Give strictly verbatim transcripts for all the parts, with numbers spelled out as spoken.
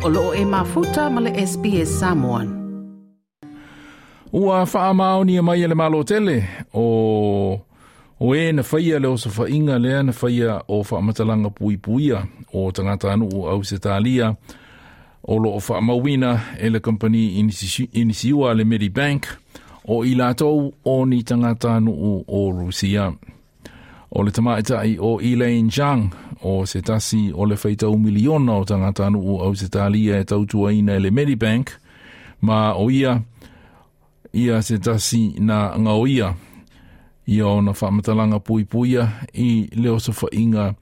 O loo e mafuta ma le S B S Samoan. Ua whaamaoni mai e le malo tele o o e na whaia le osofaiga lea na whaia o whaamatalaga puipuia o tagatanuu Ausetalia o loo faamauina e le kampani inisiua le Medibank o i latou o ni tagatanuu o Rusia. O le tamaitai o Elaine Zhang o se tasi o le faitau miliona o tagatanuu Ausetalia e tautuaina e le Medibank ma o ia ia se tasi na ngaoia ia ona faamatalaga puipuia i le osofaiga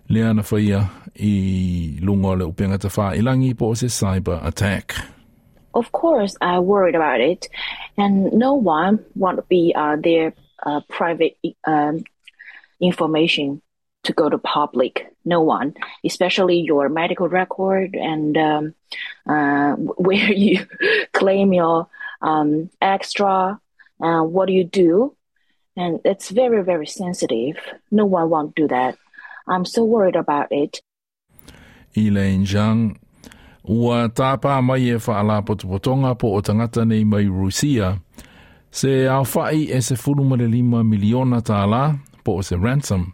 lea na faia i luga o le upega tafailagi po o se cyber attack. Of course, I worried about it, and no one want to be uh, their uh, private um, information to go to public. No one, especially your medical record and um, uh, where you claim your um, extra, uh, what do you do? And it's very, very sensitive. No one won't do that. I'm so worried about it. Elaine Zhang ua tāpā mai e whaalapotopotonga po o tagata nei mai Rusia se aofa'i e sefulu ma le lima miliona tālā po o se ransom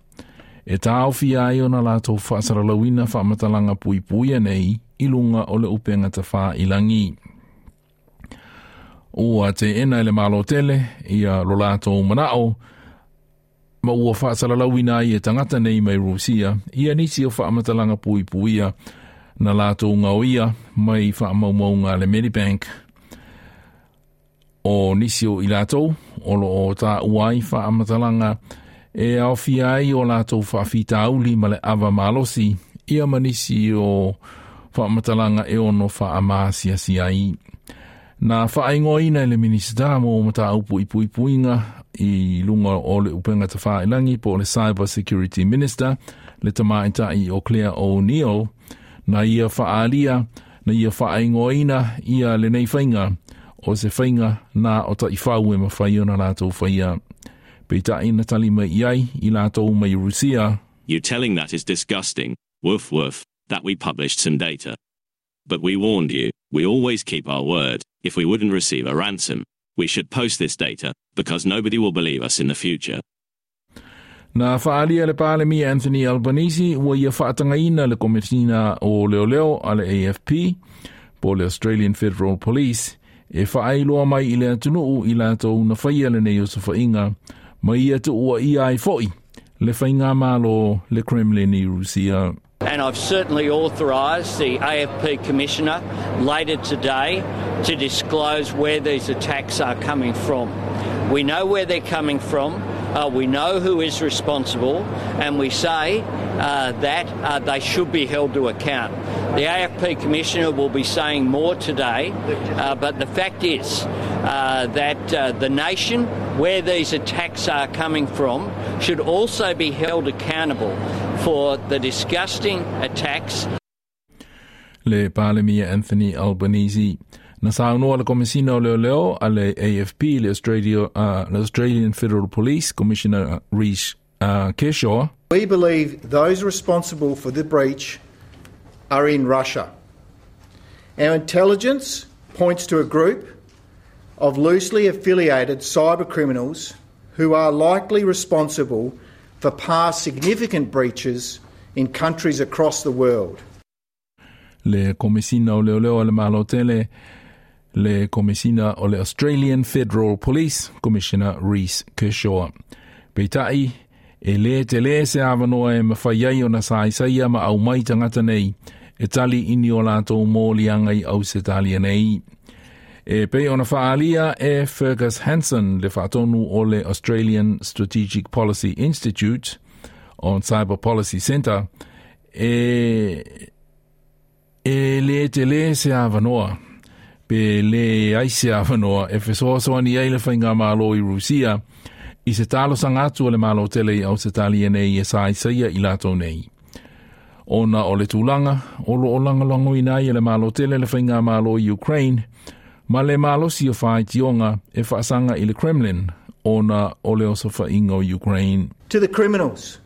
e tāofia ai ona latou faasalalauina faamatalaga puipuia nei i luga o le upega tafailagi. Ua teena e le Malo tele ia lo latou manao ma ua faasalalauina ai e tagata nei mai Rusia ia nisi o faamatalaga puipuia na latou gaoia mai faamaumauga le Medibank. O nisi o i latou o loo taua ai faamatalaga e aofia ai o latou faafitauli ma le ava malosi ia ma nisi o faamatalaga e ono faamaasiasi ai. Na faaigoaina e le Minisita mo mataupu i puipuiga i luga o le upega tafailagi po o le Cyber Security Minister le tamaitai o Claire O'Neill na ia faalia na ia faaigoaina ia lenei faiga o se faiga na o taifau e mafai ona latou faia. Peitai na tali mai i ai i latou mai Rusia. You telling that is disgusting. Woof woof, that we published some data. But we warned you, we always keep our word. If we wouldn't receive a ransom, we should post this data, because nobody will believe us in the future. Na faalia le Palemia Anthony Albanese ua ia faatagaina le Komesina o Leoleo a le A F P po le Australian Federal Police e faailoa mai i le atunuu i latou na faia lenei osofaiga ma ia tuuaia ai foi le faigamalo le Kremlin i Rusia. And I've certainly authorised the A F P Commissioner later today to disclose where these attacks are coming from. We know where they're coming from, uh, we know who is responsible, and we say uh, that uh, they should be held to account. The A F P Commissioner will be saying more today, uh, but the fact is uh, that uh, the nation where these attacks are coming from should also be held accountable for the disgusting attacks. Le Palemia Anthony Albanese. Na saunoa le Komesina o Leoleo a le A F P, le, Australia, uh, le Australian Federal Police Commissioner Reece uh, Kershaw. We believe those responsible for the breach are in Russia. Our intelligence points to a group of loosely affiliated cyber criminals who are likely responsible for past significant breaches in countries across the world. Le Komesina o Leoleo a le Malo tele, le Komesina o le Australian Federal Police Commissioner Reece Kershaw. Peitai, e le te le se awanoa e mawhai ai o na saisaia ma aumai tagata nei e tali ini o latou moliaga i Ausetalia nei. E pei ona faalia e Fergus Hanson, le faatonu o le Australian Strategic Policy Institute on Cyber Policy Centre, e, e le te le se awanoa pe le ai se awanoa e fesoasoani ai le faigamalo i Rusia i se talosaga atu o le Malo tele i Ausetalia nei e saisaia i latou nei. Ona o le tulaga o loo lagolagoina ai e le Malo tele le faigamalo i Ukraine ma le malosi o faitioga e faasaga i le Kremlin ona o le osofaiga o Ukraine. To the criminals,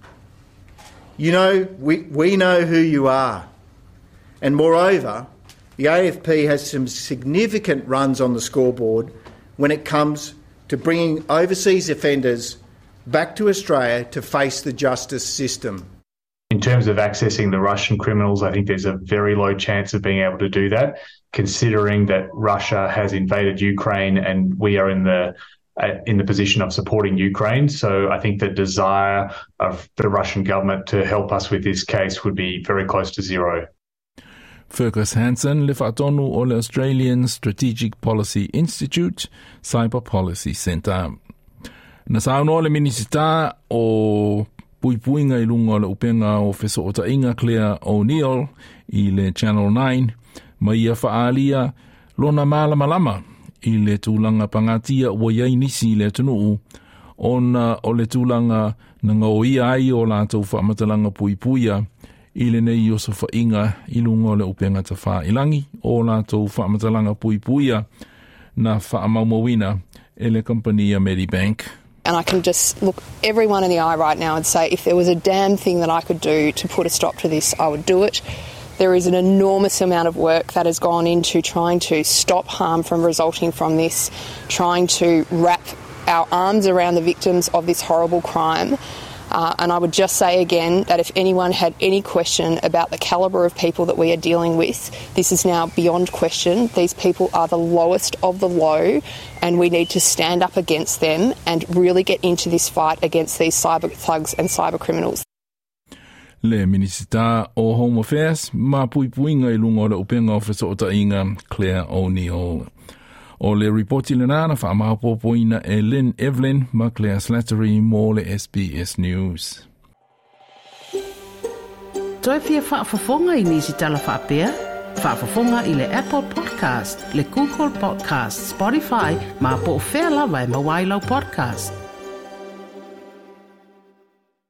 you know, we, we know who you are. And moreover, The A F P has some significant runs on the scoreboard when it comes to bringing overseas offenders back to Australia to face the justice system. In terms of accessing the Russian criminals, I think there's a very low chance of being able to do that, considering that Russia has invaded Ukraine and we are in the uh, in the position of supporting Ukraine. So I think the desire of the Russian government to help us with this case would be very close to zero. Fergus Hanson, le whaatonu o le Australian Strategic Policy Institute, Cyber Policy Centre. Na saunoa le Minisita o Puipuiga i lunga o le upenga o Fesootaiga Claire O'Neill i le Channel nine, ma ia whaalia lona malamalama i le tūlanga pangatia ua iai nisi i le atunuu, ona o le tūlanga na ngao ai o lātou whaamatalanga puipuia i le nei o sofainga i lunga o le upenga tawhailangi o lātou whaamatalanga puipuia na whaamaumawina e le kompania Medibank. And I can just look everyone in the eye right now and say if there was a damn thing that I could do to put a stop to this, I would do it. There is an enormous amount of work that has gone into trying to stop harm from resulting from this, trying to wrap our arms around the victims of this horrible crime. Uh, and I would just say again that if anyone had any question about the calibre of people that we are dealing with, this is now beyond question. These people are the lowest of the low, and we need to stand up against them and really get into this fight against these cyber thugs and cyber criminals. Le Minisita o Home Affairs, ma puipuiga i lunga o le upenga o Fesootaiga Claire O'Neill. O le ripoti le nana whaamahapopoina e Lynn Evelyn ma Claire Slattery mo le S B S News. Toi fia whaafafonga i nisi tala whaapea? Whaafafonga i le Apple Podcast, le Google Podcast, Spotify, ma po o whea lawa e mawailau podcast.